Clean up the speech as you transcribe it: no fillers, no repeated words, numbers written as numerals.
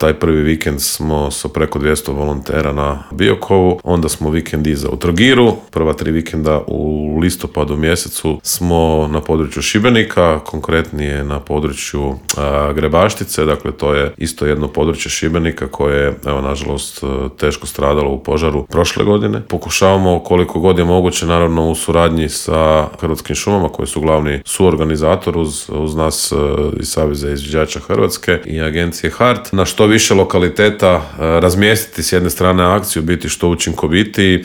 Taj prvi vikend smo sa preko 200 volontera na Biokovu, onda smo vikend iza u Trogiru, prva 3 vikenda u listopadu mjesecu smo na području Šibenika, konkretnije na području Grebaštice, dakle to je isto jedno područje Šibenika koje je, evo, nažalost, teško stradalo u požaru prošle godine. Pokušavamo koliko god je moguće, naravno u suradnji sa Hrvatskim šumama koji su glavni suorganizator uz nas iz Saveza izviđača Hrvatske i agencije HART, na što više lokaliteta razmjestiti s jedne strane akciju, biti što učinkovitiji